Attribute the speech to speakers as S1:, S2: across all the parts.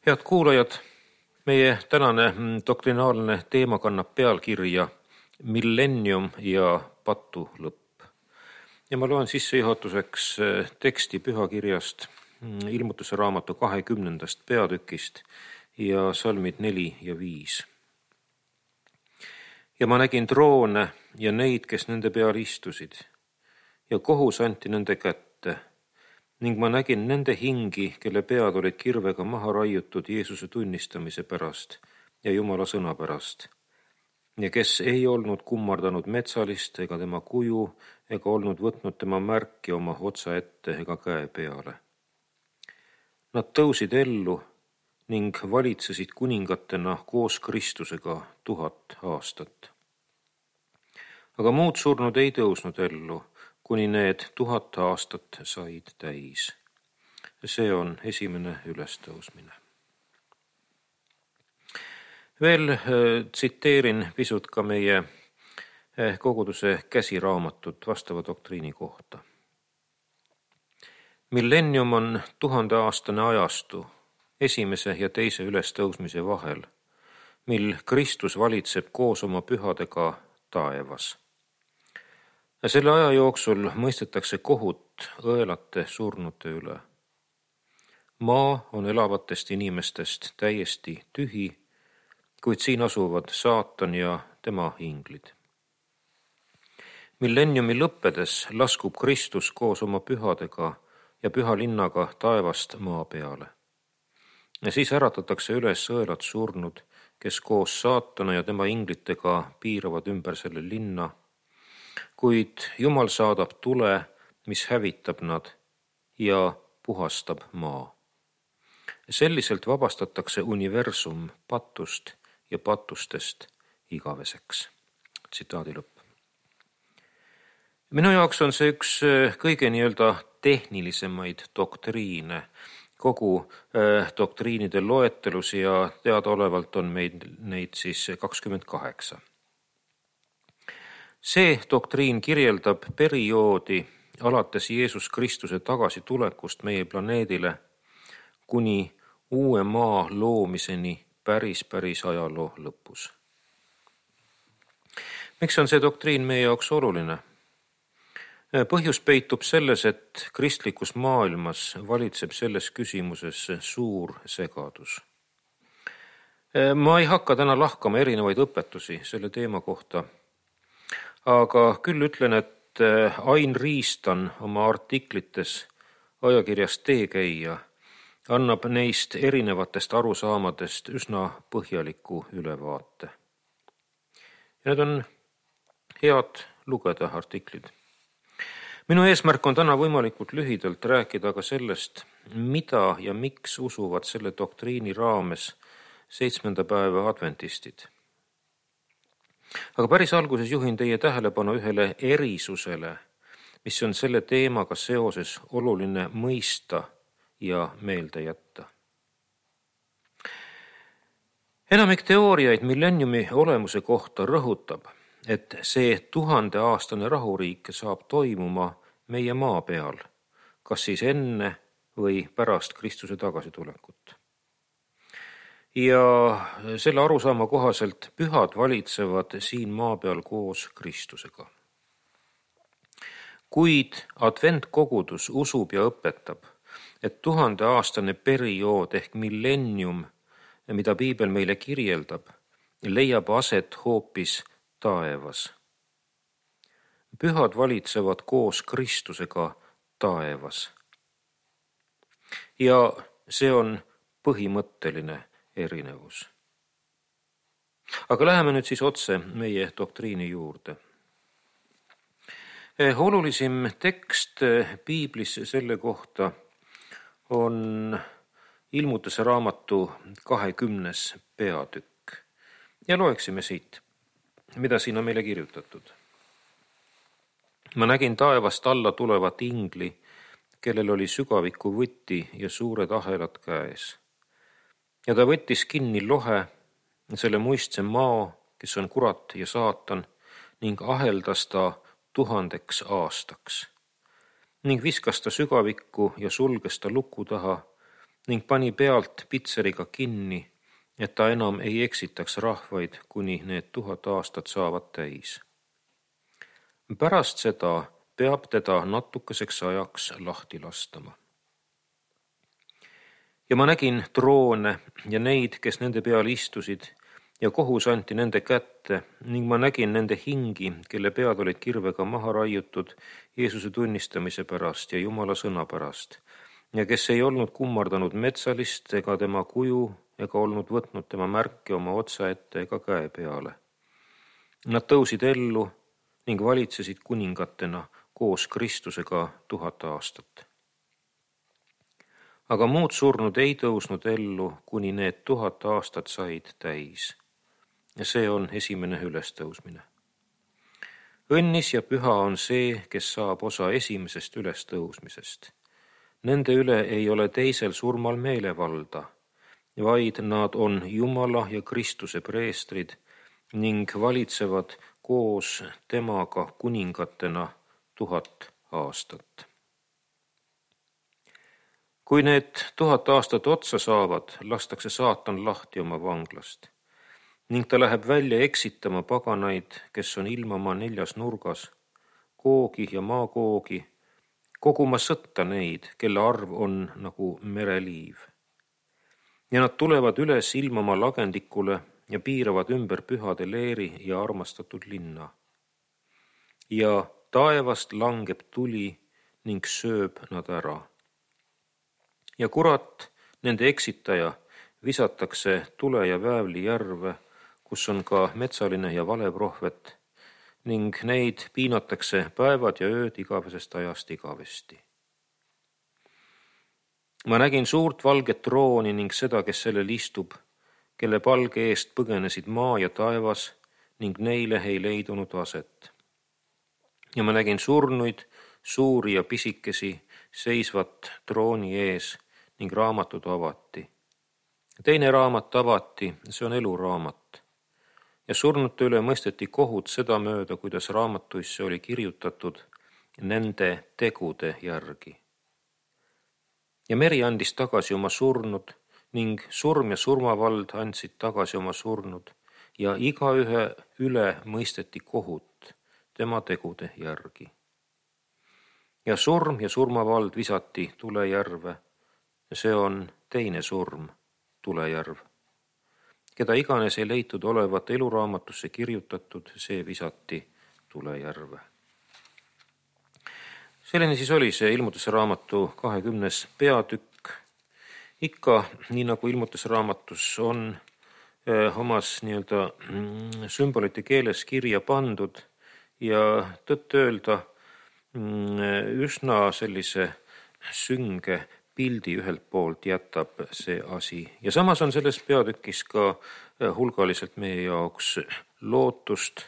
S1: Head kuulajad, meie tänane doktrinaalne teema kannab pealkirja Millennium ja patu lõpp. Ja ma loen sissejuhatuseks teksti pühakirjast Ilmutuse raamatu 20. peatükist ja salmid 4 ja 5. Ja ma nägin troone ja neid, kes nende peal istusid, ja kohus anti nende kätte. Ning ma nägin nende hingi, kelle pead olid kirvega maha raiutud Jeesuse tunnistamise pärast ja Jumala sõna pärast, ja kes ei olnud kummardanud metsalist ega tema kuju ega olnud võtnud tema märki oma otsa ette ega käe peale. Nad tõusid ellu ning valitsesid kuningatena koos Kristusega 1000 aastat. Aga muud surnud ei tõusnud ellu, kuni need 1000 aastat said täis. See on esimene ülestõusmine. Veel tsiteerin pisut ka meie koguduse käsiraamatut vastava doktriini kohta. Millennium on 1000-aastane ajastu esimese ja teise ülestõusmise vahel, mil Kristus valitseb koos oma pühadega taevas. Selle aja jooksul mõistetakse kohut õelate surnute üle. Maa on elavatest inimestest täiesti tühi, kuid siin asuvad saatan ja tema inglid. Millenniumi lõppedes laskub Kristus koos oma pühadega ja püha linnaga taevast maa peale. Ja siis äratatakse üles õelad surnud, kes koos saatana ja tema inglitega piiravad ümber selle linna, kuid Jumal saadab tule, mis hävitab nad ja puhastab maa. Selliselt vabastatakse universum patust ja patustest igaveseks. Tsitaadi lõpp. Minu jaoks on see üks kõige tehnilisemaid doktriine, kogu doktriinide loetelus ja teadaolevalt on neid siis 28. See doktriin kirjeldab perioodi alates Jeesus Kristuse tagasitulekust meie planeedile kuni uue maa loomiseni päris ajaloo lõpus. Miks on see doktriin meie jaoks oluline? Põhjus peitub selles, et kristlikus maailmas valitseb selles küsimuses suur segadus. Ma ei hakka täna lahkama erinevaid õpetusi selle teema kohta, aga küll ütlen, et Ain Riistan oma artiklites ajakirjas Teekäija annab neist erinevatest arusaamadest üsna põhjaliku ülevaate. Ja need on head lugeda artiklid. Minu eesmärk on täna võimalikult lühidalt rääkida ka sellest, mida ja miks usuvad selle doktriini raames 7. päeva adventistid. Aga päris alguses juhin teie tähelepanu ühele erisusele, mis on selle teemaga seoses oluline mõista ja meelde jätta. Enamik teooriaid millenniumi olemuse kohta rõhutab, et see 1000-aastane rahuriik saab toimuma meie maa peal, kas siis enne või pärast Kristuse tagasitulekut. Ja selle arusaama kohaselt pühad valitsevad siin maa peal koos Kristusega. Kuid adventkogudus usub ja õpetab, et 1000-aastane periood ehk millennium, mida Piibel meile kirjeldab, leiab aset hoopis taevas. Pühad valitsevad koos Kristusega taevas. Ja see on põhimõtteline erinevus. Aga läheme nüüd siis otse meie doktriini juurde. Olulisim tekst Piiblis selle kohta on Ilmutuse raamatu 20. peatükk. Ja loeksime siit, mida siin on meile kirjutatud. Ma nägin taevast alla tulevat ingli, kellel oli sügaviku võti ja suured ahelad käes. Ja ta võttis kinni lohe, selle muistse maa, kes on kurat ja saatan, ning aheldas ta 1000 aastaks. Ning viskas ta sügavikku ja sulges ta luku taha ning pani pealt pitseriga kinni, et ta enam ei eksitaks rahvaid, kuni need 1000 aastat saavad täis. Pärast seda peab teda natukeseks ajaks lahti lastama. Ja ma nägin troone ja neid, kes nende peal istusid, ja kohus anti nende kätte ning ma nägin nende hingi, kelle pead olid kirvega maha raiutud Jeesuse tunnistamise pärast ja Jumala sõna pärast, ja kes ei olnud kummardanud metsalist ega tema kuju ega olnud võtnud tema märke oma otsa ette ega käe peale. Nad tõusid ellu ning valitsesid kuningatena koos Kristusega 1000 aastat. Aga muud surnud ei tõusnud ellu, kuni need 1000 aastat said täis. Ja see on esimene ülestõusmine. Õnnis ja püha on see, kes saab osa esimesest ülestõusmisest. Nende üle ei ole teisel surmal meelevalda, vaid nad on Jumala ja Kristuse preestrid ning valitsevad koos temaga kuningatena 1000 aastat. Kui need 1000 aastat otsa saavad, lastakse saatan lahti oma vanglast ning ta läheb välja eksitama paganaid, kes on ilmamaa 4 nurgas, Googi ja Maagoogi, koguma sõtta neid, kelle arv on nagu mereliiv. Ja nad tulevad üles ilmamaa lagendikule ja piiravad ümber pühade leeri ja armastatud linna. Ja taevast langeb tuli ning sööb nad ära. Ja kurat, nende eksitaja, visatakse tule ja väävli järve, kus on ka metsaline ja valeprohvet, ning neid piinatakse päevad ja ööd igavesest ajast igavesti. Ma nägin suurt valget trooni ning seda, kes sellel istub, kelle palge eest põgenesid maa ja taevas ning neile ei leidunud aset. Ja ma nägin surnuid, suuri ja pisikesi, seisvat trooni ees ning raamatud avati. Teine raamat avati, see on eluraamat. Ja surnute üle mõisteti kohut sedamööda, kuidas raamatuisse oli kirjutatud nende tegude järgi. Ja meri andis tagasi oma surnud ning surm ja surmavald andsid tagasi oma surnud ja igaühe üle mõisteti kohut tema tegude järgi. Ja surm ja surmavald visati tulejärve ja see on teine surm, tulejärv. Keda iganes ei leitud olevat eluraamatusse kirjutatud, see visati tulejärve. Selline siis oli see Ilmutuse raamatu 20. peatükk. Ikka, nii nagu Ilmutuse raamatus on omas sümbolite keeles kirja pandud ja tõtt öelda üsna sellise sünge pildi ühelt poolt jätab see asi. Ja samas on selles peatükis ka hulgaliselt meie jaoks lootust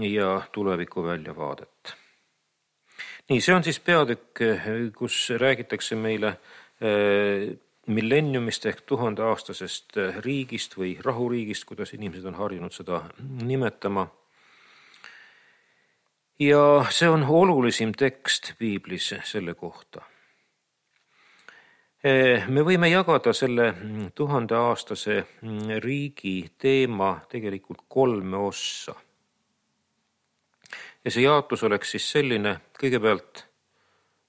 S1: ja tuleviku väljavaadet. Nii, see on siis peatükk, kus räägitakse meile millenniumist ehk 1000-aastasest riigist või rahuriigist, kuidas inimesed on harjunud seda nimetama. Ja see on olulisim tekst piiblis selle kohta. Me võime jagada selle 1000-aastase riigi teema tegelikult 3 ossa. Ja see jaotus oleks siis selline, kõigepealt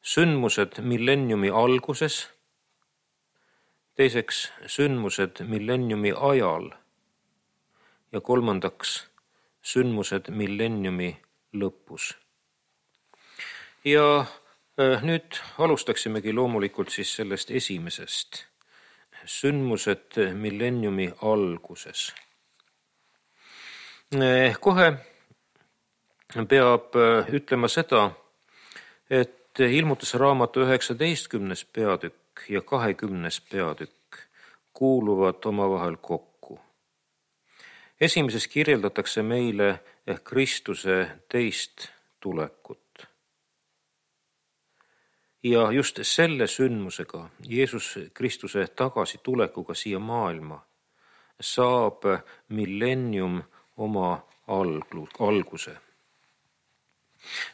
S1: sündmused millenniumi alguses, teiseks sündmused millenniumi ajal ja kolmandaks sündmused millenniumi lõpus. Ja nüüd alustaksimegi loomulikult siis sellest esimesest, sündmused millenniumi alguses. Kohe peab ütlema seda, et Ilmutuse raamatu 19. peatükk ja 20. peatükk kuuluvad omavahel kokku. Esimeses kirjeldatakse meile Kristuse teist tulekut. Ja just selle sündmusega, Jeesus Kristuse tagasitulekuga siia maailma, saab millennium oma alguse.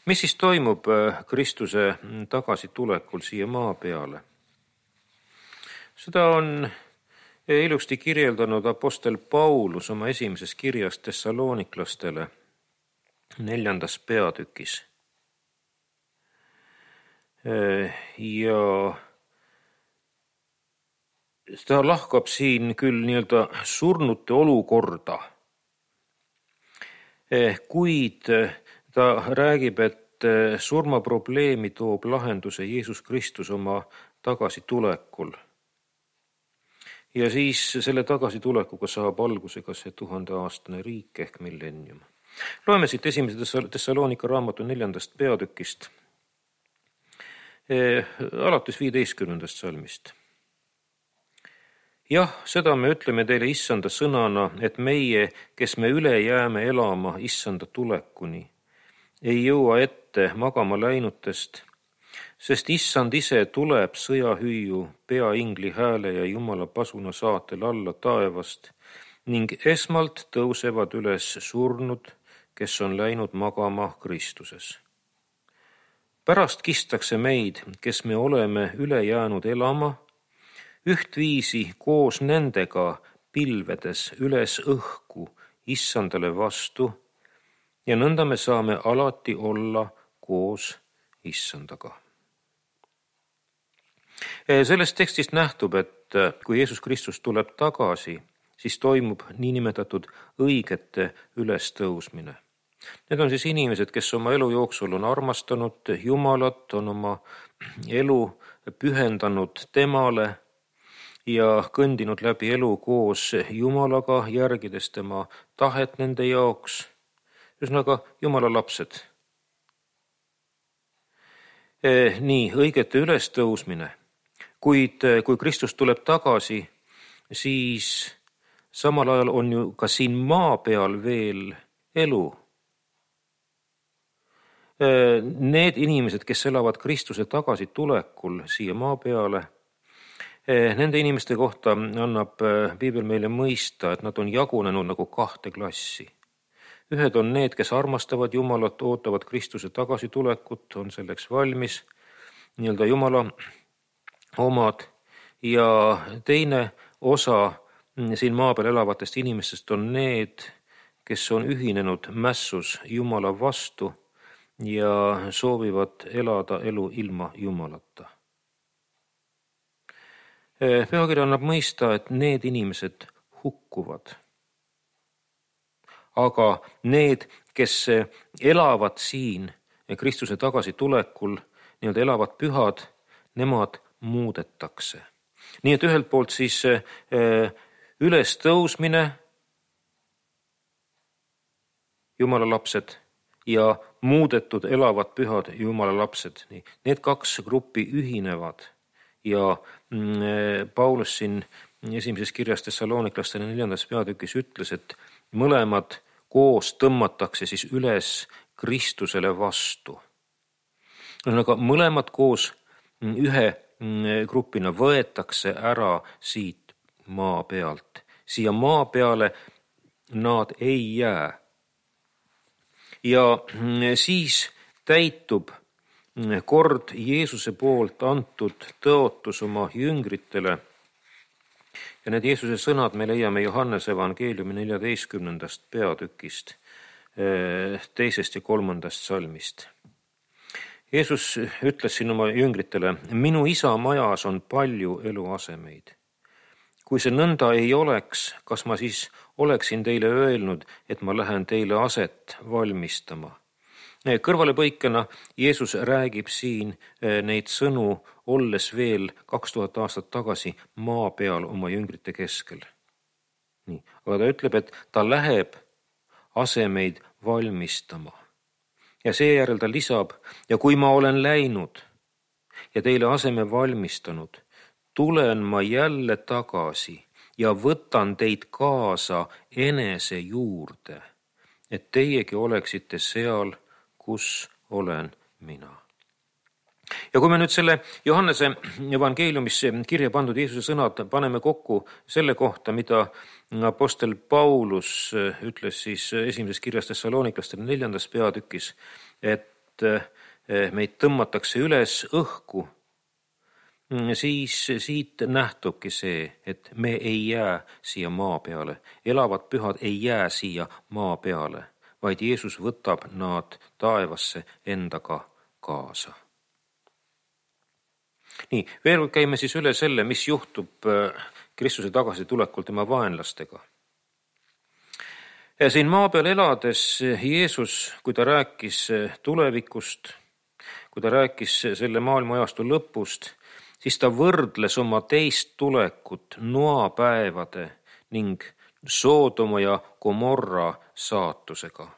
S1: Mis siis toimub Kristuse tagasitulekul siia maa peale? Seda on ilusti kirjeldanud apostel Paulus oma esimeses kirjas Thessaloniklastele 4. peatükis. Ja ta lahkab siin küll nii-öelda surnute olukorda, kuid ta räägib, et surmaprobleemi toob lahenduse Jeesus Kristus oma tagasitulekul. Ja siis selle tagasitulekuga saab alguse ka see 1000-aastane riik ehk millennium. Loeme siit esimese Thessalonika raamatu 4. peatükist, alates 15. salmist. Jah, seda me ütleme teile issanda sõnana, et meie, kes me üle jääme elama issanda tulekuni, ei jõua ette magama läinutest, sest issand ise tuleb sõjahüüu, peaingli hääle ja Jumala pasuna saatel alla taevast ning esmalt tõusevad üles surnud, kes on läinud magama Kristuses. Pärast kistakse meid, kes me oleme üle jäänud elama, ühtviisi koos nendega pilvedes üles õhku issandale vastu ja nõnda me saame alati olla koos issandaga. Sellest tekstist nähtub, et kui Jeesus Kristus tuleb tagasi, siis toimub niinimetatud õigete ülestõusmine. Need on siis inimesed, kes oma elu jooksul on armastanud Jumalat, on oma elu pühendanud temale ja kõndinud läbi elu koos Jumalaga, järgides tema tahet nende jaoks. Ühesõnaga, Jumala lapsed. Nii, õigete ülestõusmine. Kuid kui Kristus tuleb tagasi, siis samal ajal on ju ka siin maa peal veel elu. Need inimesed, kes elavad Kristuse tagasitulekul siia maa peale, nende inimeste kohta annab Piibel meile mõista, et nad on jagunenud nagu 2 klassi. Ühed on need, kes armastavad Jumalat, ootavad Kristuse tagasitulekut, on selleks valmis, nii-öelda Jumala omad, ja teine osa siin maa peal elavatest inimestest on need, kes on ühinenud mässus Jumala vastu ja soovivad elada elu ilma Jumalata. Pühakiri annab mõista, et need inimesed hukkuvad. Aga need, kes elavad siin Kristuse tagasitulekul, nii-öelda elavad pühad, nemad muudetakse. Nii et ühelt poolt siis ülestõusmine, Jumala lapsed, ja muudetud elavad pühad Jumala lapsed. Need 2 gruppi ühinevad ja Paulus siin esimeses kirjas Thessaloniklastele 4. peatükis ütles, et mõlemad koos tõmmatakse siis üles Kristusele vastu. Aga mõlemad koos ühe grupina võetakse ära siit maa pealt. Siia maa peale nad ei jää. Ja siis täitub kord Jeesuse poolt antud tõotus oma jüngritele. Ja need Jeesuse sõnad me leiame Johannese evangeeliumi 14. peatükist, 2. ja 3. salmist. Jeesus ütles siin oma jüngritele, minu isa majas on palju eluasemeid. Kui see nõnda ei oleks, kas ma siis oleksin teile öelnud, et ma lähen teile aset valmistama? Kõrvalepõikena Jeesus räägib siin neid sõnu, olles veel 2000 aastat tagasi maa peal oma jüngrite keskel. Nii. Aga ta ütleb, et ta läheb asemeid valmistama. Ja seejärel ta lisab, ja kui ma olen läinud ja teile aseme valmistanud, tulen ma jälle tagasi ja võtan teid kaasa enese juurde, et teiegi oleksite seal, kus olen mina. Ja kui me nüüd selle Johannese evangeeliumisse kirja pandud Jeesuse sõnad paneme kokku selle kohta, mida apostel Paulus ütles siis esimeses kirjas Thessaloniklastele 4. peatükis, et meid tõmmatakse üles õhku siis siit nähtubki see, et me ei jää siia maa peale, elavad pühad ei jää siia maa peale, vaid Jeesus võtab nad taevasse endaga kaasa. Nii, veel käime siis üle selle, mis juhtub Kristuse tagasitulekul tema vaenlastega. Ja siin maa peal elades Jeesus, kui ta rääkis tulevikust, kui ta rääkis selle maailmaajastu lõpust, siis ta võrdles oma teist tulekut noapäevade ning Soodoma ja Gomorra saatusega.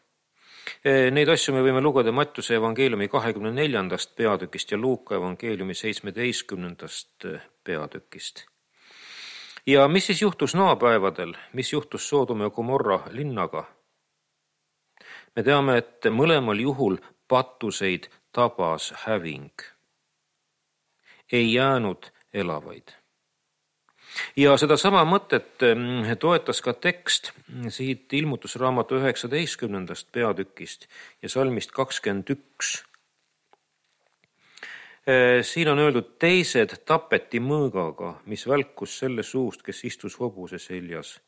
S1: Neid asju me võime lugeda Mattiuse evangeeliumi 24. peatükist ja Luuka evangeeliumi 17. peatükist. Ja mis siis juhtus noapäevadel, mis juhtus Soodoma ja Gomorra linnaga? Me teame, et mõlemal juhul patuseid tabas häving. Ei jäänud elavaid. Ja seda sama mõtet toetas ka tekst siit ilmutusraamatu 19. peatükist ja salmist 21. Siin on öeldud, teised tapeti mõõgaga, mis välkus selle suust, kes istus hobuse seljas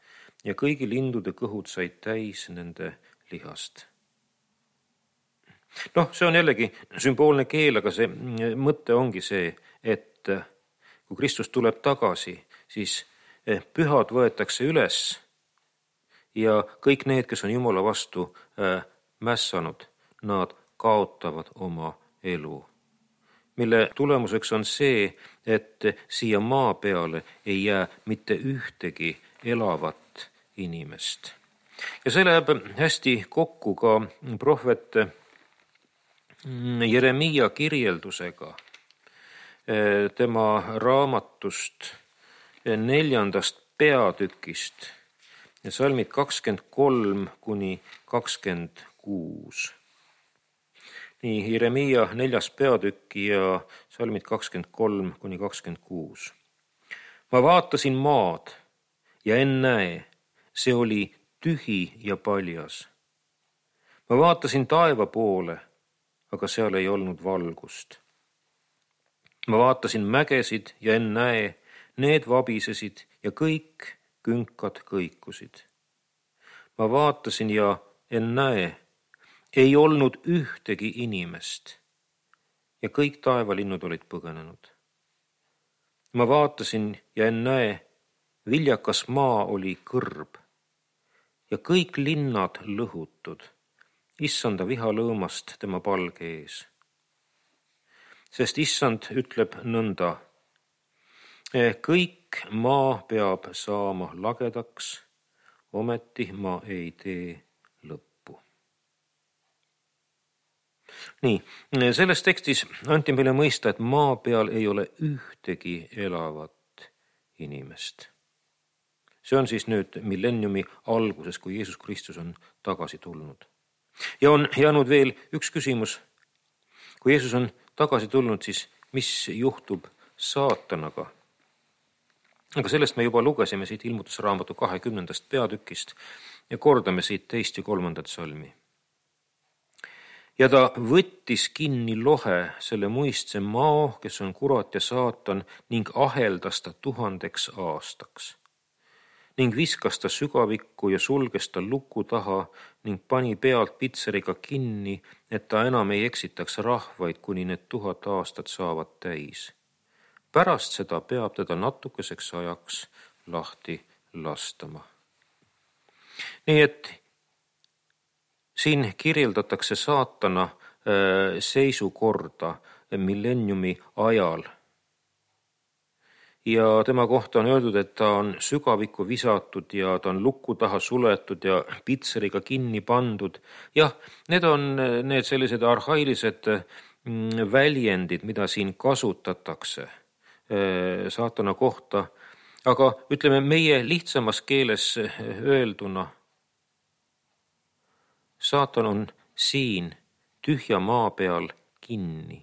S1: ja kõigi lindude kõhud said täis nende lihast. See on jällegi sümboolne keel, aga see mõte ongi see, et kui Kristus tuleb tagasi, siis pühad võetakse üles ja kõik need, kes on Jumala vastu mässanud, nad kaotavad oma elu. Mille tulemuseks on see, et siia maa peale ei jää mitte ühtegi elavat inimest. Ja see läheb hästi kokku ka prohvet Jeremiia kirjeldusega tema raamatust 4. peatükist ja salmid 23 kuni 26. Nii, Jeremiia 4. peatükki ja salmid 23 kuni 26. Ma vaatasin maad ja ennäe, see oli tühi ja paljas. Ma vaatasin taeva poole, aga seal ei olnud valgust. Ma vaatasin mägesid ja ennäe, need vabisesid ja kõik künkad kõikusid. Ma vaatasin ja ennäe, ei olnud ühtegi inimest ja kõik taevalinnud olid põgenenud. Ma vaatasin ja ennäe, viljakas maa oli kõrb ja kõik linnad lõhutud, issanda viha lõõmast tema palge ees. Sest issand ütleb nõnda, kõik maa peab saama lagedaks, ometi ma ei tee lõppu. Nii, selles tekstis anti meile mõista, et maa peal ei ole ühtegi elavat inimest. See on siis nüüd millenniumi alguses, kui Jeesus Kristus on tagasi tulnud. Ja on jäänud veel üks küsimus. Kui Jeesus on tagasi tulnud, siis mis juhtub saatanaga? Aga sellest me juba lugesime siit ilmutusraamatu 20. peatükist ja kordame siit 2. ja 3. salmi. Ja ta võttis kinni lohe selle muistse mao, kes on kurat ja saatan, ning aheldas ta 1000 aastaks. Ning viskas ta sügavikku ja sulges ta luku taha ning pani pealt pitseriga kinni, et ta enam ei eksitaks rahvaid, kuni need 1000 aastat saavad täis. Pärast seda peab teda natukeseks ajaks lahti lastama. Nii et siin kirjeldatakse saatana seisukorda millenniumi ajal. Ja tema kohta on öeldud, et ta on sügavikku visatud ja ta on luku taha suletud ja pitseriga kinni pandud. Jah, need on need sellised arhailised väljendid, mida siin kasutatakse saatana kohta. Aga ütleme meie lihtsamas keeles öelduna, saatan on siin tühja maa peal kinni.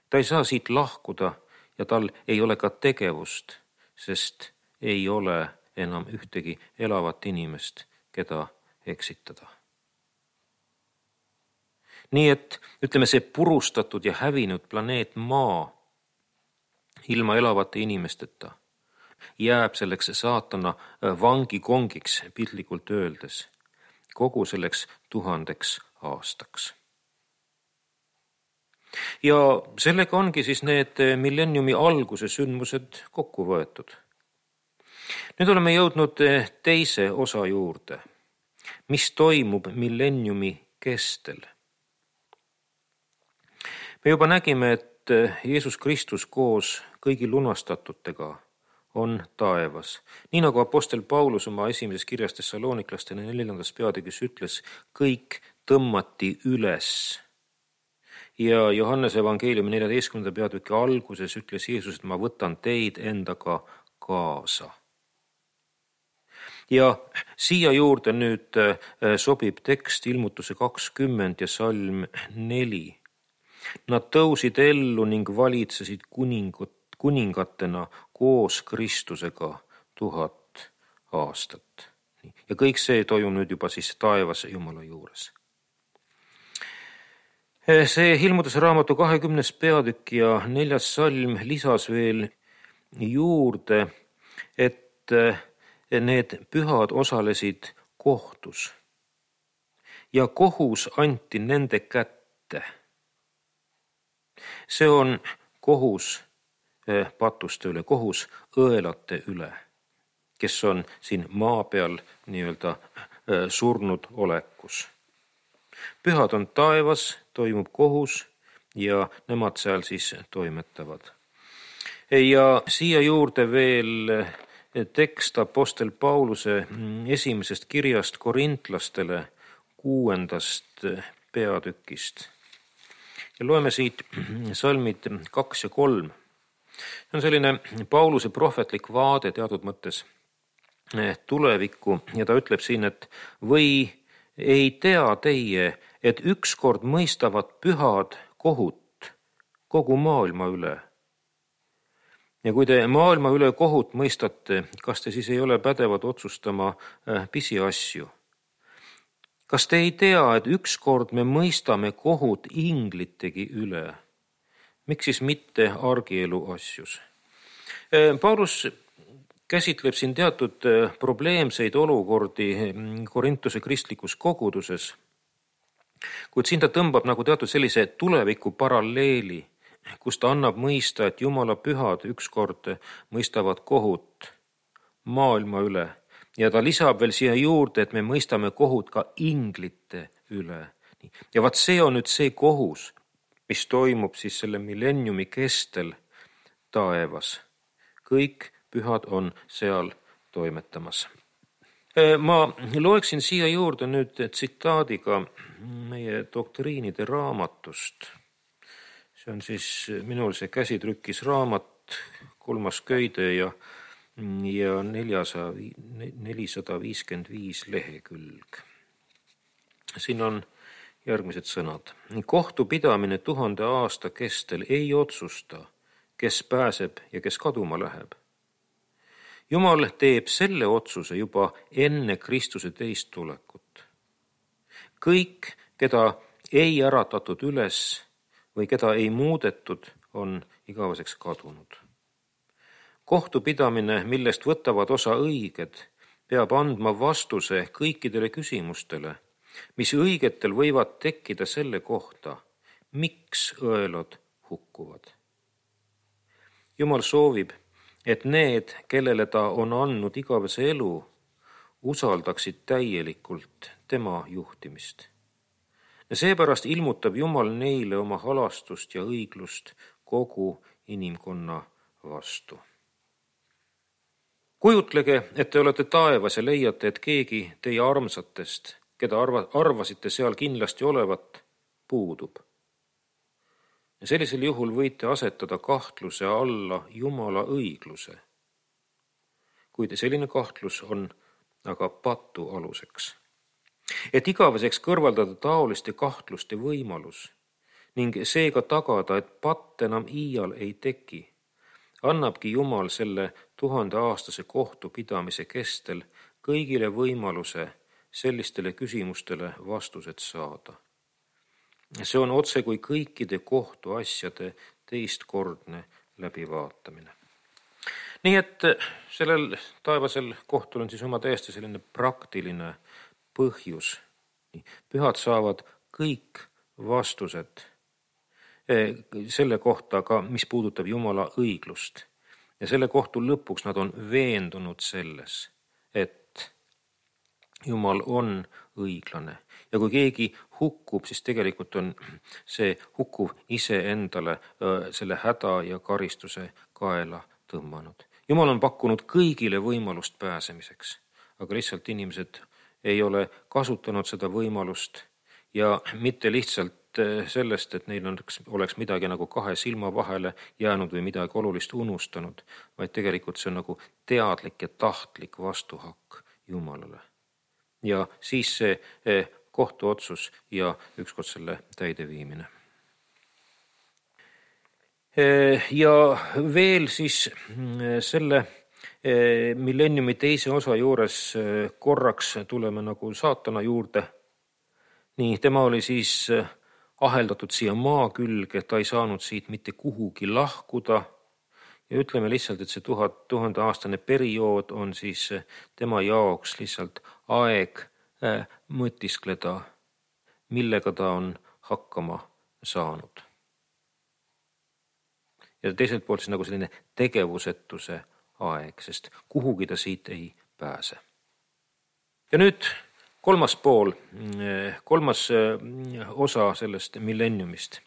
S1: Ta ei saa siit lahkuda ja tal ei ole ka tegevust, sest ei ole enam ühtegi elavat inimest, keda eksitada. Nii et ütleme, see purustatud ja hävinud planeet Maa ilma elavate inimesteta, jääb selleks saatana vangikongiks piltlikult öeldes kogu selleks 1000 aastaks. Ja sellega ongi siis need millenniumi alguse sündmused kokku võetud. Nüüd oleme jõudnud teise osa juurde, mis toimub millenniumi kestel. Me juba nägime, et Jeesus Kristus koos kõigi lunastatutega on taevas. Nii nagu apostel Paulus oma esimeses kirjas Thessaloniklastele 4. peatükis ütles, kõik tõmmati üles. Ja Johannese evangeeliumi 14. peatüki alguses ütles Jeesus, et ma võtan teid endaga kaasa. Ja siia juurde nüüd sobib tekst Ilmutuse 20 ja salm 4. Nad tõusid ellu ning valitsesid kuningatena koos Kristusega 1000 aastat. Ja kõik see toimub nüüd juba siis taevas Jumala juures. See Ilmutuse raamatu 20. peatükk ja 4. salm lisas veel juurde, et need pühad osalesid kohtus ja kohus anti nende kätte. See on kohus patuste üle, kohus õelate üle, kes on siin maa peal nii-öelda surnud olekus. Pühad on taevas, toimub kohus ja nemad seal siis toimetavad. Ja siia juurde veel tekst apostel Pauluse esimesest kirjast korintlastele 6. peatükist. Ja loeme siit salmid 2 ja 3. See on selline Pauluse prohvetlik vaade teatud mõttes tulevikku ja ta ütleb siin, et või ei tea teie, et ükskord mõistavad pühad kohut kogu maailma üle. Ja kui te maailma üle kohut mõistate, kas te siis ei ole pädevad otsustama pisiasju? Kas te ei tea, et ükskord me mõistame kohut inglitegi üle? Miks siis mitte argielu asjus? Paulus käsitleb siin teatud probleemseid olukordi Korintuse kristlikus koguduses, kuid siin ta tõmbab nagu teatud sellise tuleviku paralleeli, kus ta annab mõista, et Jumala pühad ükskord mõistavad kohut maailma üle. Ja ta lisab veel siia juurde, et me mõistame kohut ka inglite üle. Ja vaat see on nüüd see kohus, mis toimub siis selle millenniumi kestel taevas. Kõik pühad on seal toimetamas. Ma loeksin siia juurde nüüd tsitaadiga meie doktriinide raamatust. See on siis minul see käsitrükis raamat, 3. köide ja 455 lehekülg. Siin on järgmised sõnad. Kohtupidamine 1000 aasta kestel ei otsusta, kes pääseb ja kes kaduma läheb. Jumal teeb selle otsuse juba enne Kristuse teist tulekut. Kõik, keda ei äratatud üles või keda ei muudetud, on igaveseks kadunud. Kohtupidamine, millest võtavad osa õiged, peab andma vastuse kõikidele küsimustele, mis õigetel võivad tekkida selle kohta, miks õelad hukkuvad. Jumal soovib, et need, kellele ta on andnud igavese elu, usaldaksid täielikult tema juhtimist. Ja seepärast ilmutab Jumal neile oma halastust ja õiglust kogu inimkonna vastu. Kujutlege, et te olete taevas ja leiate, et keegi teie armsatest, keda arvasite seal kindlasti olevat, puudub. Ja sellisel juhul võite asetada kahtluse alla Jumala õigluse. Kuid selline kahtlus on aga patu aluseks. Et igaveseks kõrvaldada taoliste kahtluste võimalus ning seega tagada, et patt enam iial ei teki, annabki Jumal selle 1000-aastase kohtupidamise kestel kõigile võimaluse sellistele küsimustele vastused saada. See on otse kui kõikide kohtuasjade teistkordne läbivaatamine. Nii et sellel taevasel kohtul on siis oma täiesti selline praktiline põhjus. Pühad saavad kõik vastused selle kohta ka, mis puudutab Jumala õiglust. Ja selle kohtu lõpuks nad on veendunud selles, et Jumal on õiglane. Ja kui keegi hukkub, siis tegelikult on see hukkuv iseendale selle häda ja karistuse kaela tõmmanud. Jumal on pakkunud kõigile võimalust pääsemiseks, aga lihtsalt inimesed ei ole kasutanud seda võimalust ja mitte lihtsalt sellest, et neil oleks midagi nagu kahe silma vahele jäänud või midagi olulist unustanud, vaid tegelikult see on nagu teadlik ja tahtlik vastuhakk Jumalale. Ja siis see kohtuotsus ja ükskord selle täideviimine. Ja veel siis selle millenniumi teise osa juures korraks tuleme nagu saatana juurde. Nii, tema oli siis aheldatud siia maa külge, ta ei saanud siit mitte kuhugi lahkuda. Ja ütleme lihtsalt, et see 1000-aastane periood on siis tema jaoks lihtsalt aeg mõtiskleda, millega ta on hakkama saanud. Ja teiselt poolt siis nagu selline tegevusetuse aeg, sest kuhugi ta siit ei pääse. Ja nüüd kolmas osa sellest millenniumist.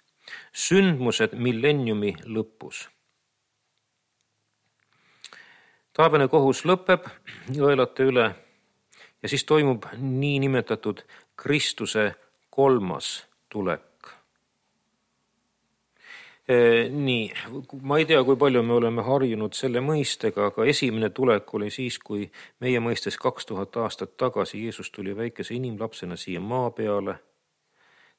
S1: Sündmused millenniumi lõpus. Taevane kohus lõpeb jõelate üle ja siis toimub nii nimetatud Kristuse kolmas tulek. Nii, ma ei tea, kui palju me oleme harjunud selle mõistega, aga esimene tulek oli siis, kui meie mõistes 2000 aastat tagasi Jeesus tuli väikese inimlapsena siia maa peale.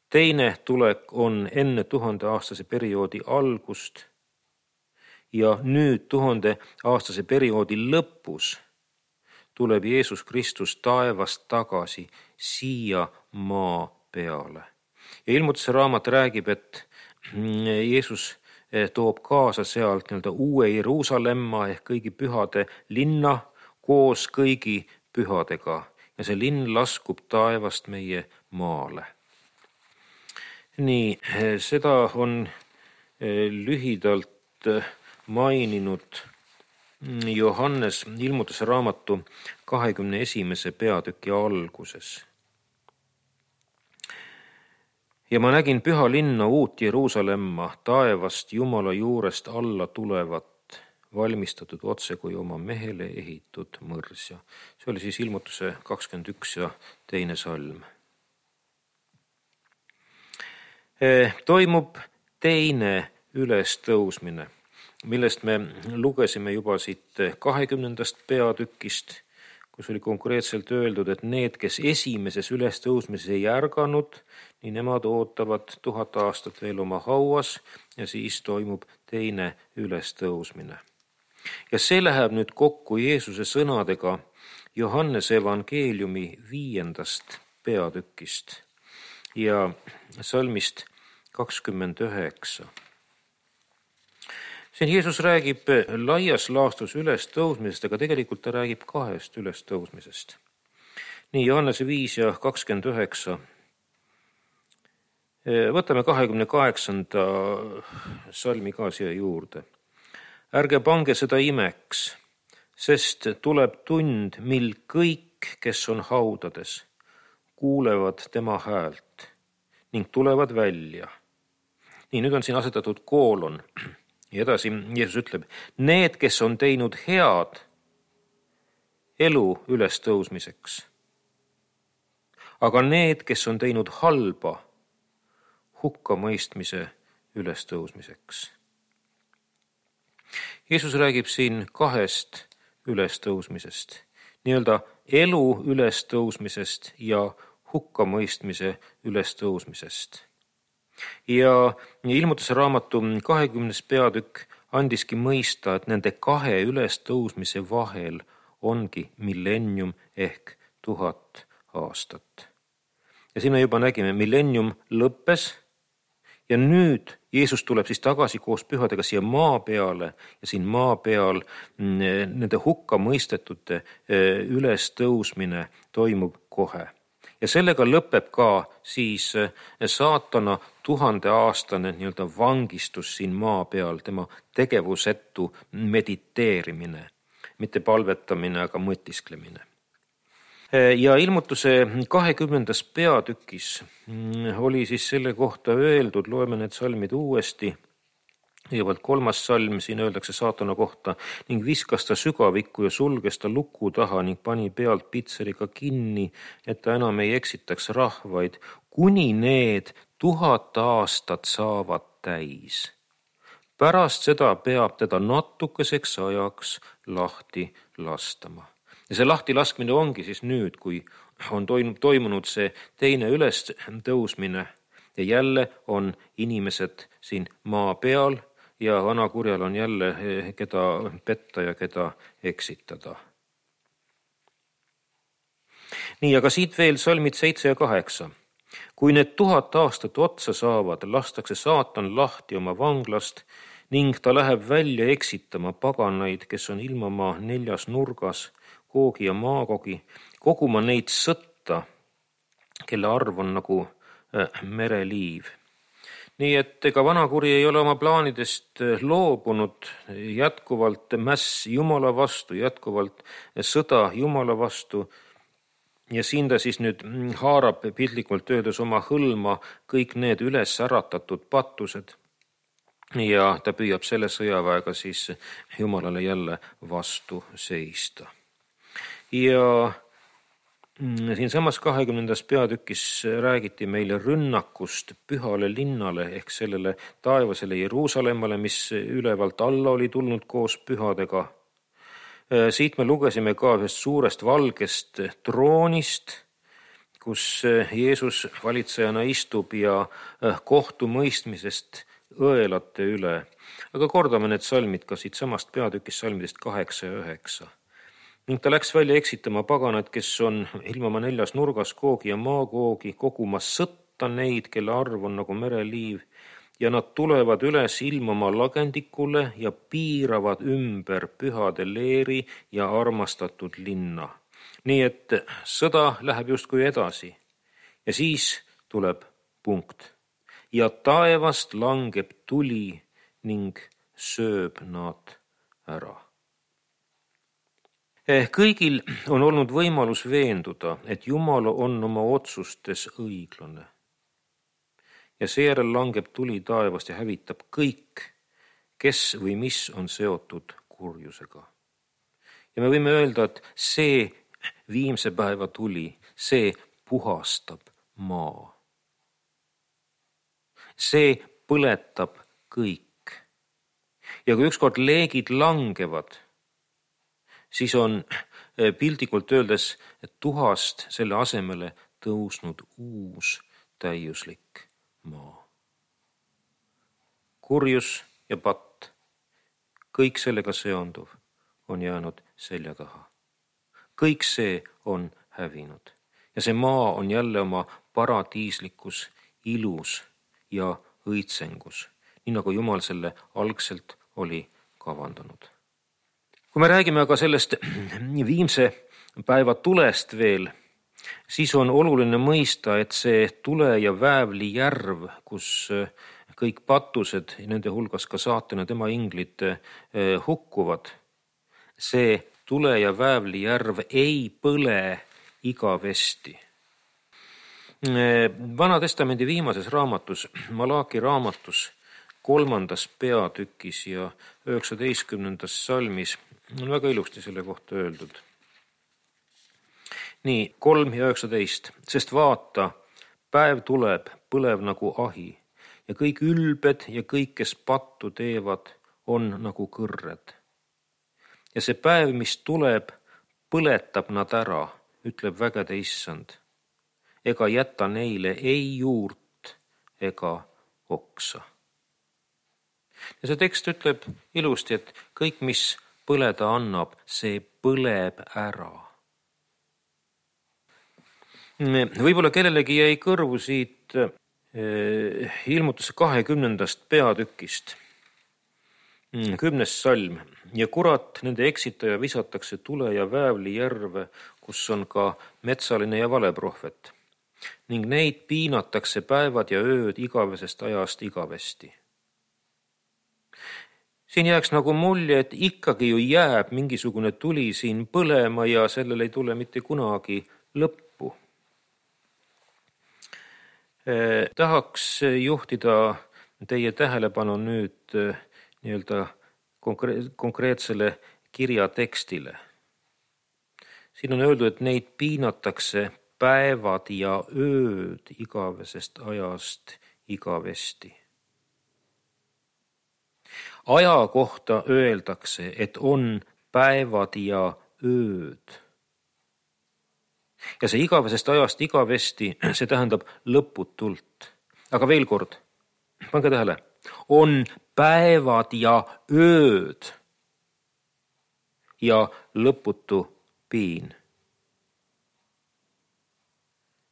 S1: Teine tulek on enne 1000-aastase perioodi algust ja nüüd 1000-aastase perioodi lõpus tuleb Jeesus Kristus taevast tagasi siia maa peale. Ja Ilmutuse raamat räägib, et Jeesus toob kaasa sealt uue Jeruusalemma ehk kõigi pühade linna koos kõigi pühadega ja see linn laskub taevast meie maale. Nii, seda on lühidalt maininud Johannes Ilmutuse raamatu 21. peatüki alguses. Ja ma nägin püha linna uut Jeruusalemma taevast Jumala juurest alla tulevat, valmistatud otse kui oma mehele ehitud mõrsja. See oli siis Ilmutuse 21 ja 2. salm. Toimub teine ülestõusmine, millest me lugesime juba siit 20. peatükist, kus oli konkreetselt öeldud, et need, kes esimeses ülestõusmises ei ärganud, nii nemad ootavad 1000 aastat veel oma hauas ja siis toimub teine ülestõusmine. Ja see läheb nüüd kokku Jeesuse sõnadega Johannese evangeeliumi 5. peatükist ja salmist 29. Siin Jeesus räägib laias laastus ülestõusmisest, aga tegelikult ta räägib 2 ülestõusmisest. Nii, Johannese 5 ja 29. Võtame 28. salmi ka siia juurde. Ärge pange seda imeks, sest tuleb tund, mil kõik, kes on haudades, kuulevad tema häält ning tulevad välja. Nii, nüüd on siin asetatud koolon. Ja edasi Jeesus ütleb, need, kes on teinud head elu ülestõusmiseks, aga need, kes on teinud halba hukkamõistmise ülestõusmiseks. Jeesus räägib siin 2 ülestõusmisest, nii-öelda elu ülestõusmisest ja hukkamõistmise ülestõusmisest. Ja Ilmutuse raamatu 20. peatükk andiski mõista, et nende 2 ülestõusmise vahel ongi millennium ehk 1000 aastat. Ja siin me juba nägime, millennium lõppes ja nüüd Jeesus tuleb siis tagasi koos pühadega siia maa peale ja siin maa peal nende hukka mõistetute ülestõusmine toimub kohe. Ja sellega lõpeb ka siis saatana 1000-aastane nii-öelda vangistus siin maa peal, tema tegevusetu mediteerimine, mitte palvetamine, aga mõtisklemine. Ja ilmutuse 20. peatükis oli siis selle kohta öeldud, loeme need salmid uuesti. Kõigepealt 3. salm, siin öeldakse saatana kohta, ning viskas ta sügavikku ja sulges ta luku taha ning pani pealt pitseriga kinni, et ta enam ei eksitaks rahvaid, kuni need 1000 aastat saavad täis. Pärast seda peab teda natukeseks ajaks lahti lastama. Ja see lahti laskmine ongi siis nüüd, kui on toimunud see teine ülestõusmine ja jälle on inimesed siin maa peal ja vanakurjal on jälle keda petta ja keda eksitada. Nii, aga siit veel salmid 7 ja 8. Kui need 1000 aastat otsa saavad, lastakse saatan lahti oma vanglast ning ta läheb välja eksitama paganaid, kes on ilmamaa 4 nurgas, Googi ja Maagogi, koguma neid sõtta, kelle arv on nagu mereliiv. Nii et ega vanakuri ei ole oma plaanidest loobunud, jätkuvalt mäss Jumala vastu, jätkuvalt sõda Jumala vastu. Ja siin ta siis nüüd haarab piltlikult öeldes oma hõlma kõik need üles äratatud patused. Ja ta püüab selle sõjaväega siis Jumalale jälle vastu seista. Ja siin samas 20. peatükis räägiti meile rünnakust pühale linnale ehk sellele taevasele Jeruusalemmale, mis ülevalt alla oli tulnud koos pühadega. Siit me lugesime ka ühest suurest valgest troonist, kus Jeesus valitsejana istub ja kohtumõistmisest õelate üle. Aga kordame need salmid ka siit samast peatükist salmidest 8 ja 9. Ning ta läks välja eksitama paganad, kes on ilmamaa 4 nurgas, Googi ja Maagoogi, koguma sõtta neid, kelle arv on nagu mereliiv, ja nad tulevad üles ilmamaa lagendikule ja piiravad ümber pühade leeri ja armastatud linna. Nii et sõda läheb justkui edasi ja siis tuleb punkt. Ja taevast langeb tuli ning sööb nad ära. Kõigil on olnud võimalus veenduda, et Jumal on oma otsustes õiglane. Ja seejärel langeb tuli taevast ja hävitab kõik, kes või mis on seotud kurjusega. Ja me võime öelda, et see viimse päeva tuli, see puhastab maa. See põletab kõik. Ja kui ükskord leegid langevad, siis on piltlikult öeldes tuhast selle asemele tõusnud uus täiuslik maa. Kurjus ja patt, kõik sellega seonduv on jäänud selja taha. Kõik see on hävinud ja see maa on jälle oma paradiislikus ilus ja õitsengus, nii nagu Jumal selle algselt oli kavandanud. Kui me räägime aga sellest viimse päeva tulest veel, siis on oluline mõista, et see tule ja väävli järv, kus kõik patused, nende hulgas ka saatan ja tema inglid hukkuvad, see tule ja väävli järv ei põle igavesti. Vana testamendi viimases raamatus, Malaki raamatus, 3. peatükis ja 19. salmis on väga ilusti selle kohta öeldud. Nii, 3 ja 19. Sest vaata, päev tuleb, põlev nagu ahi ja kõik ülbed ja kõik, kes pattu teevad, on nagu kõrred. Ja see päev, mis tuleb, põletab nad ära, ütleb vägede issand, ega jäta neile ei juurt ega oksa. Ja see tekst ütleb ilusti, et kõik, mis põleda annab, see põleb ära. Võib-olla kellelegi jäi kõrvu siit ilmutuse 20. peatükist, 10. salm. Ja kurat, nende eksitaja visatakse tule ja väävli järve, kus on ka metsaline ja valeprohvet. Ning neid piinatakse päevad ja ööd igavesest ajast igavesti. Siin jääks nagu mulje, et ikkagi ju jääb mingisugune tuli siin põlema ja sellel ei tule mitte kunagi lõppu. Tahaks juhtida teie tähelepanu nüüd nii-öelda konkreetsele kirja tekstile. Siin on öeldud, et neid piinatakse päevad ja ööd igavesest ajast igavesti. Aja kohta öeldakse, et on päevad ja ööd. Ja see igavesest ajast igavesti, see tähendab lõputult. Aga veel kord, pange tähele, on päevad ja ööd ja lõputu piin.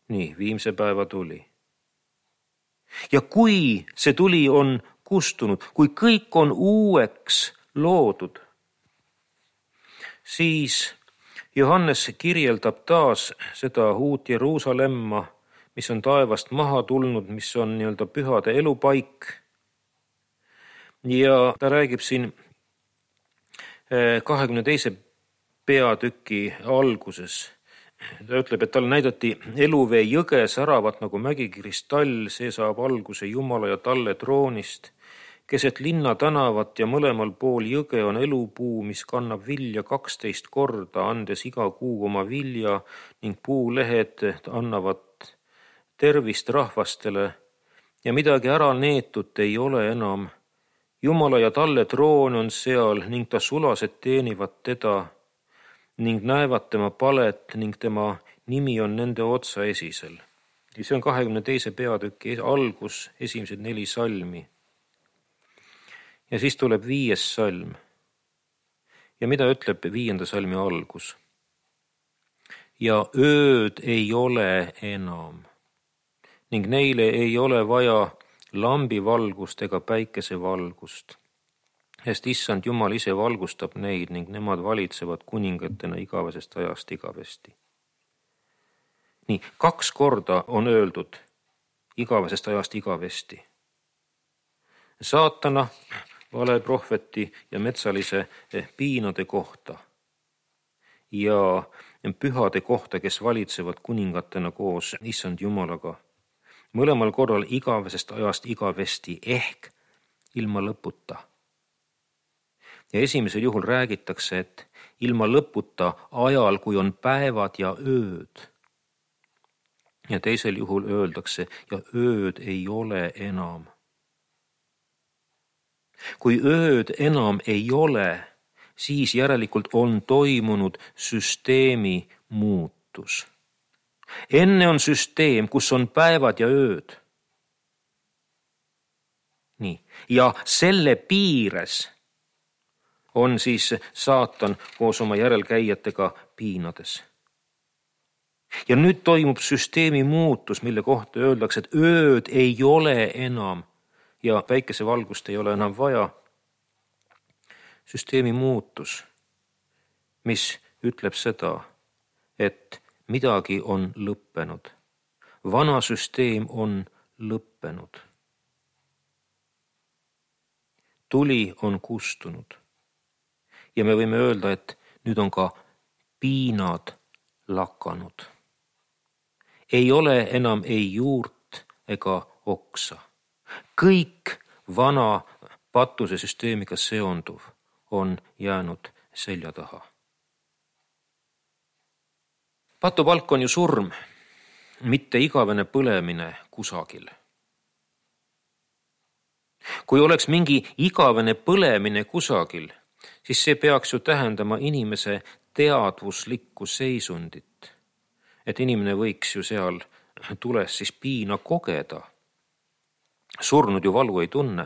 S1: Nii, viimse päeva tuli. Ja kui see tuli on kustunud, kui kõik on uueks loodud, siis Johannes kirjeldab taas seda uut Jeruusalemma, mis on taevast maha tulnud, mis on nii-öelda pühade elupaik. Ja ta räägib siin 22. peatüki alguses. Ta ütleb, et talle näidati eluvee jõge säravat nagu mägikristall, see saab alguse Jumala ja talle troonist. Keset linna tänavat ja mõlemal pool jõge on elupuu, mis kannab vilja 12 korda, andes iga kuu oma vilja ning puulehed annavad tervist rahvastele ja midagi ära neetut ei ole enam. Jumala ja talle troon on seal ning ta sulased teenivad teda ning näevad tema palet ning tema nimi on nende otsa esisel. Ja see on 22. peatüki algus, esimesed 4 salmi. Ja siis tuleb 5. salm. Ja mida ütleb 5. salmi algus? Ja ööd ei ole enam ning neile ei ole vaja lambivalgust ega päikesevalgust. Sest issand Jumal ise valgustab neid ning nemad valitsevad kuningatena igavesest ajast igavesti. Nii, 2 korda on öeldud igavesest ajast igavesti. Saatana, valeprohveti ja metsalise piinade kohta ja pühade kohta, kes valitsevad kuningatena koos issand Jumalaga. Mõlemal korral igavesest ajast igavesti ehk ilma lõputa. Ja esimesel juhul räägitakse, et ilma lõputa ajal, kui on päevad ja ööd. Ja teisel juhul öeldakse, ja ööd ei ole enam. Kui ööd enam ei ole, siis järelikult on toimunud süsteemi muutus. Enne on süsteem, kus on päevad ja ööd. Nii. Ja selle piires on siis saatan koos oma järelkäijatega piinades. Ja nüüd toimub süsteemi muutus, mille kohta öeldakse, et ööd ei ole enam ja päikesevalgust ei ole enam vaja. Süsteemi muutus, mis ütleb seda, et midagi on lõppenud. Vana süsteem on lõppenud. Tuli on kustunud. Ja me võime öelda, et nüüd on ka piinad lakanud. Ei ole enam ei juurt ega oksa. Kõik vana patuse süsteemiga seonduv on jäänud selja taha. Patupalk on ju surm, mitte igavene põlemine kusagil. Kui oleks mingi igavene põlemine kusagil, siis see peaks ju tähendama inimese teadvuslikku seisundit. Et inimene võiks ju seal tules siis piina kogeda. Surnud ju valu ei tunne.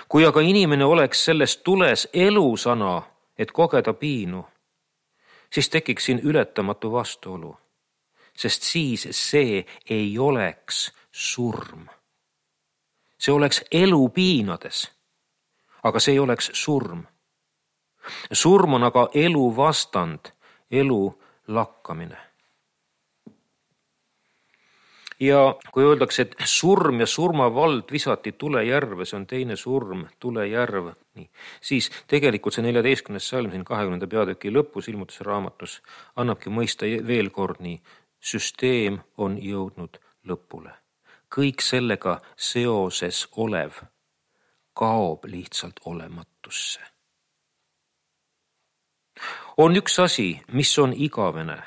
S1: Kui aga inimene oleks selles tules elusana, et kogeda piinu, siis tekiks siin ületamatu vastuolu. sest siis see ei oleks surm. See oleks elu piinades, aga see ei oleks surm. Surm on aga elu vastand, elu lakkamine. Ja kui öeldakse, et surm ja surmavald visati tulejärve, see on teine surm, tulejärv, nii, siis tegelikult see 14. salm siin 20. peatüki lõpus ilmutuse raamatus annabki mõista veel kord nii, süsteem on jõudnud lõpule. Kõik sellega seoses olev kaob lihtsalt olematusse. On üks asi, mis on igavene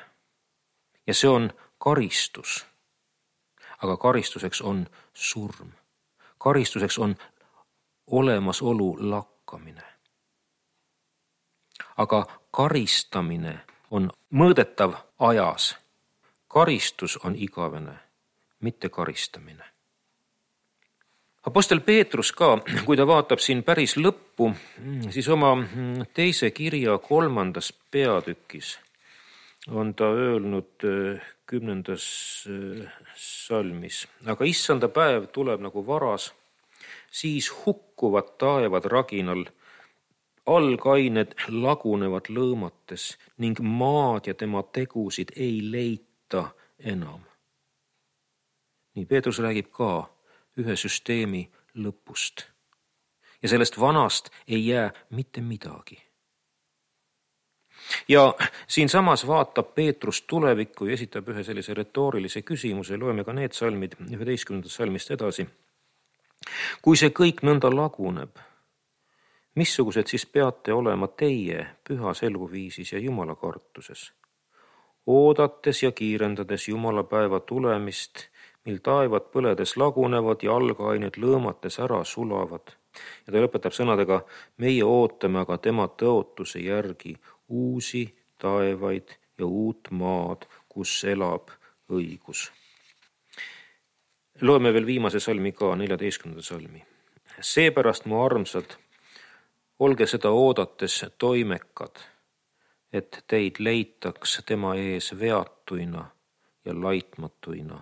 S1: ja see on karistus. Aga karistuseks on surm. Karistuseks on olemasolu lakkamine. Aga karistamine on mõõdetav ajas. Karistus on igavene, mitte karistamine. Apostel Peetrus ka, kui ta vaatab siin päris lõppu, siis oma teise kirja 3. peatükis on ta öelnud 10. salmis. Aga issanda päev tuleb nagu varas, siis hukkuvad taevad raginal, algained lagunevad lõõmates ning maad ja tema tegusid ei leita enam. Nii Peetrus räägib ka ühe süsteemi lõpust. Ja sellest vanast ei jää mitte midagi. Ja siin samas vaatab Peetrus tulevikku ja esitab ühe sellise retoorilise küsimuse, loeme ka need salmid 11. salmist edasi. Kui see kõik nõnda laguneb, missugused siis peate olema teie pühas eluviisis ja Jumala kartuses? Oodates ja kiirendades Jumala päeva tulemist, mil taevad põledes lagunevad ja algained lõõmates ära sulavad. Ja ta lõpetab sõnadega, meie ootame aga tema tõotuse järgi uusi taevaid ja uut maad, kus elab õigus. Loeme veel viimase salmi ka, 14. salmi. Seepärast, mu armsad, olge seda oodates toimekad, et teid leitaks tema ees veatuina ja laitmatuina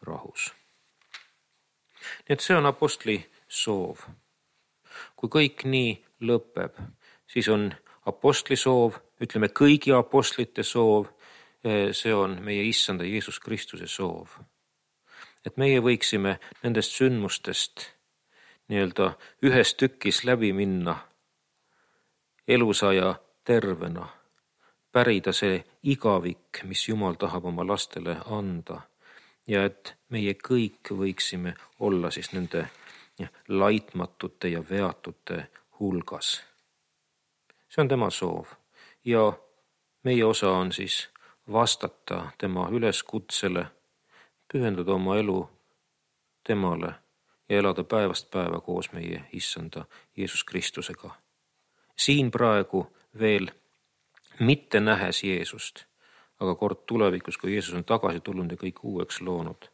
S1: rahus. Nii et see on apostli soov. Kui kõik nii lõpeb, siis on apostli soov, ütleme kõigi apostlite soov, see on meie issanda Jeesus Kristuse soov. Et meie võiksime nendest sündmustest nii-öelda ühes tükis läbi minna, elusaja tervena, pärida see igavik, mis Jumal tahab oma lastele anda ja et meie kõik võiksime olla siis nende laitmatute ja veatute hulgas. See on tema soov ja meie osa on siis vastata tema üleskutsele, pühendada oma elu temale ja elada päevast päeva koos meie issanda Jeesus Kristusega. Siin praegu veel mitte nähes Jeesust, aga kord tulevikus, kui Jeesus on tagasi tulnud ja kõik uueks loonud,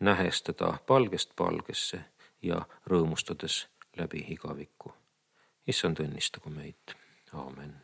S1: nähes teda palgest palgesse ja rõõmustades läbi igaviku. Issand õnnistagu meid. Aamen.